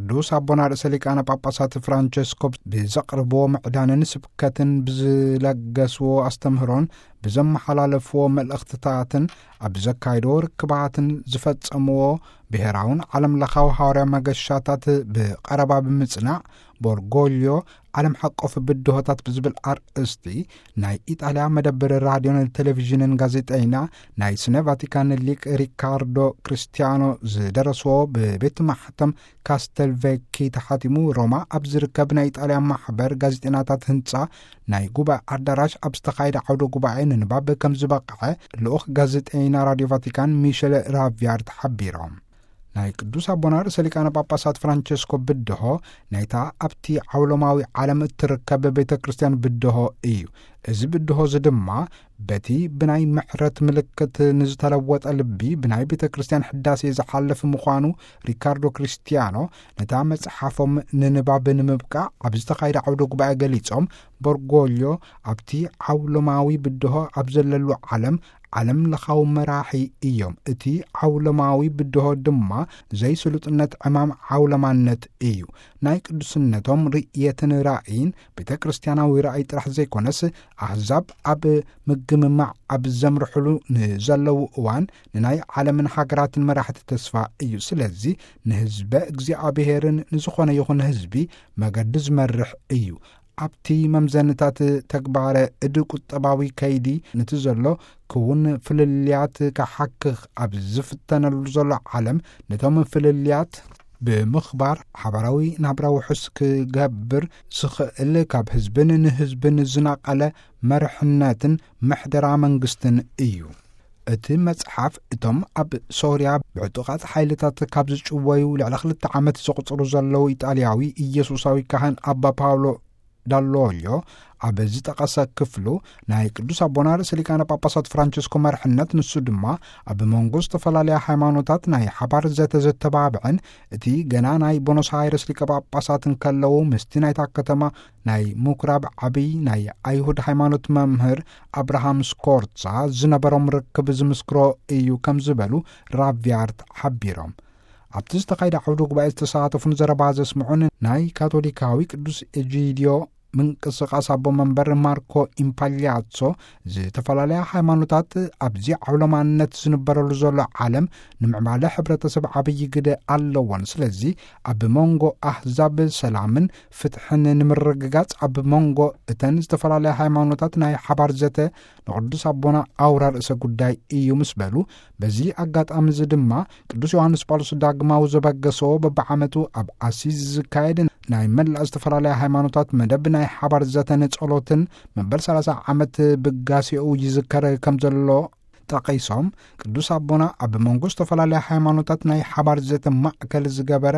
ቅዱስ ኣቦና ርእሰ ሊቃነ ጳጳሳት ፍራንቸስኮ ብዘቕርብዎ ምዕዳንን ስብከትን፣ ብዝለገስዎ ኣስተምህሮን ብዘመሓላለፍዎ መልእኽትታትን፣ ኣብ ዘካይድዎ ርክባትን ዝፈጸምዎ ብሔራውን ዓለም ለኻዊ ሃዋርያ መገሻታት ብቐረባ ብምጽናዕ፣ ቦርጎልዮ ዓለም ሓቆፍ ብድሆታት ብዝብል ኣርእስቲ ናይ ኢጣልያ መደብር ራድዮን ቴሌቪዥንን ጋዜጠይና፣ ናይ ስነ ቫቲካን ሊቅ ሪካርዶ ክርስቲያኖ ዝደረስዎ፣ ብቤት ማሕተም ካስተልቬኪ ተሓቲሙ ሮማ ኣብ ዝርከብ ናይ ኢጣልያ ማሕበር ጋዜጠይናታት ህንጻ ናይ ጉባኤ ኣዳራሽ ኣብ ዝተኻየደ ዓውደ ጉባኤ ንንባብ ከም ዝበቕዐ ልኡኽ ጋዜጠይና ራድዮ ቫቲካን ሚሸል ራቪያርት ሓቢሮም። ናይ ቅዱስ ኣቦና ርእሰ ሊቃነ ጳጳሳት ፍራንቸስኮ ብድሆ ናይታ ኣብቲ ዓውሎማዊ ዓለም እትርከብ ቤተ ክርስቲያን ብድሆ እዩ። እዚ ብድሆ እዚ ድማ በቲ ብናይ ምሕረት ምልክት ንዝተለወጠ ልቢ ብናይ ቤተ ክርስቲያን ሕዳሴ ዝሓልፍ ምዃኑ ሪካርዶ ክርስቲያኖ ነታ መጽሓፎም ንንባብ ንምብቃዕ ኣብ ዝተኻየደ ዓውደ ጉባኤ ገሊጾም፣ በርጎልዮ ኣብቲ ዓውሎማዊ ብድሆ ኣብ ዘለሉ ዓለም ዓለም ለኻዊ መራሒ እዮም። እቲ ዓውሎማዊ ብድሆ ድማ ዘይስሉጥነት ዕማም ዓውለማነት እዩ። ናይ ቅዱስነቶም ርእየትን ራእይን ቤተ ክርስቲያናዊ ራእይ ጥራሕ ዘይኮነስ፣ ኣህዛብ ኣብ ምግምማዕ ኣብ ዘምርሕሉ ንዘለዉ እዋን ንናይ ዓለምን ሃገራትን መራሕቲ ተስፋ እዩ። ስለዚ ንህዝበ እግዚኣብሔርን ንዝኾነ ይኹን ህዝቢ መገዲ ዝመርሕ እዩ። ኣብቲ መምዘንታት ተግባረ እድ ቁጠባዊ ከይዲ ነቲ ዘሎ ክውን ፍልልያት ክሓክኽ ኣብ ዝፍተነሉ ዘሎ ዓለም፣ ነቶም ፍልልያት ብምኽባር ሓባራዊ ናብራ ውሑስ ክገብር ዝኽእል፣ ካብ ህዝብን ንህዝብን ዝነቐለ መርሕነትን ምሕደራ መንግስትን እዩ። እቲ መጽሓፍ እቶም ኣብ ሶርያ ብዕጡቓት ሓይልታት ካብ ዝጭወዩ ልዕሊ ክልተ ዓመት ዘቑጽሩ ዘለዉ ኢጣልያዊ ኢየሱሳዊ ካህን ኣባ ፓውሎ ዳሎልዮ ኣብ ዝጠቐሰ ክፍሉ፣ ናይ ቅዱስ ኣቦና ርእሰ ሊቃነ ጳጳሳት ፍራንቸስኮ መርሕነት፣ ንሱ ድማ ኣብ መንጎ ዝተፈላለያ ሃይማኖታት ናይ ሓባር ዘተ ዘተባብዕን፣ እቲ ገና ናይ ቦኖስ ኣይረስ ሊቀ ጳጳሳት እንከለዉ ምስቲ ናይታ ከተማ ናይ ምኩራብ ዓብይ ናይ ኣይሁድ ሃይማኖት መምህር ኣብርሃም ስኮርዛ ዝነበሮም ርክብ ዝምስክሮ እዩ ከም ዝበሉ ራቪያርት ሓቢሮም። ኣብቲ ዝተኻየደ ዓውደ ጉባኤ ዝተሳተፉን ዘረባ ዘስምዑን ናይ ካቶሊካዊ ቅዱስ ኤጂዲዮ ምንቅስቓስ ኣቦ መንበር ማርኮ ኢምፓሊያሶ፣ ዝተፈላለያ ሃይማኖታት ኣብዚ ዓውለማነት ዝንበረሉ ዘሎ ዓለም ንምዕባለ ሕብረተሰብ ዓብዪ ግደ ኣለዎን። ስለዚ ኣብ መንጎ ኣህዛብ ሰላምን ፍትሕን ንምርግጋጽ፣ ኣብ መንጎ እተን ዝተፈላለያ ሃይማኖታት ናይ ሓባር ዘተ ንቅዱስ ኣቦና ኣውራ ርእሰ ጉዳይ እዩ ምስ በሉ፣ በዚ ኣጋጣሚ እዚ ድማ ቅዱስ ዮሃንስ ጳውሎስ ዳግማዊ ዘበገሶ በብዓመቱ ኣብ ኣሲዝ ዝካየድ ናይ መላእ ዝተፈላለያ ሃይማኖታት መደብ ናይ ሓባር ዘተን ጸሎትን መበል ሰላሳ ዓመት ብጋሴኡ ይዝከር ከም ዘሎ ጠቒሶም፣ ቅዱስ ኣቦና ኣብ መንጎ ዝተፈላለያ ሃይማኖታት ናይ ሓባር ዘተ ማእከል ዝገበረ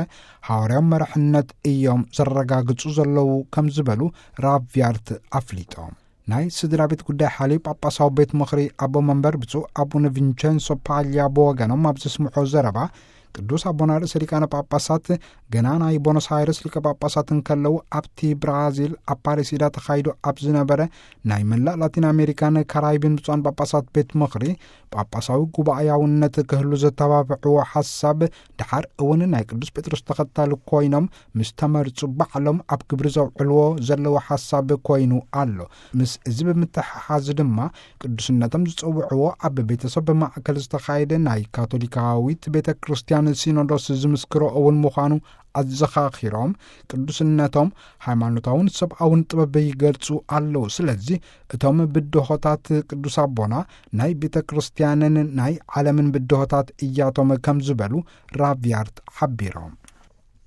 ሃዋርያዊ መርሕነት እዮም ዘረጋግጹ ዘለዉ ከም ዝበሉ ራቪያርት ኣፍሊጦም። ናይ ስድራ ቤት ጉዳይ ሓልዩ ጳጳሳዊ ቤት ምኽሪ ኣቦ መንበር ብፁዕ ኣቡነ ቪንቸንሶ ፓልያ ብወገኖም ኣብ ዘስምዖ ዘረባ፣ ቅዱስ ኣቦና ርእሰ ሊቃነ ጳጳሳት ገና ናይ ቦኖስ ኣይረስ ሊቀ ጳጳሳት እንከለዉ፣ ኣብቲ ብራዚል ኣፓሬሲዳ ተኻይዱ ኣብ ዝነበረ ናይ መላእ ላቲን ኣሜሪካን ካራይብን ብፁዓን ጳጳሳት ቤት ምኽሪ ጳጳሳዊ ጉባኤያውነት ክህሉ ዘተባብዕዎ ሓሳብ፣ ድሓር እውን ናይ ቅዱስ ጴጥሮስ ተኸታሊ ኮይኖም ምስ ተመርጹ ባዕሎም ኣብ ግብሪ ዘውዕልዎ ዘለዉ ሓሳብ ኮይኑ ኣሎ። ምስ እዚ ብምትሕሓዝ ድማ ቅዱስነቶም ዝጸውዕዎ ኣብ ቤተሰብ ማእከል ዝተኻየደ ናይ ካቶሊካዊት ቤተ ክርስቲያን ሲኖዶስ ዝምስክሮ እውን ምዃኑ ኣዘኻኺሮም፣ ቅዱስነቶም ሃይማኖታውን ሰብኣውን ጥበብ ይገልጹ ኣለዉ። ስለዚ እቶም ብድሆታት ቅዱስ ኣቦና ናይ ቤተ ክርስቲያንን ናይ ዓለምን ብድሆታት እያቶም ከም ዝበሉ ራቪያርት ሓቢሮም።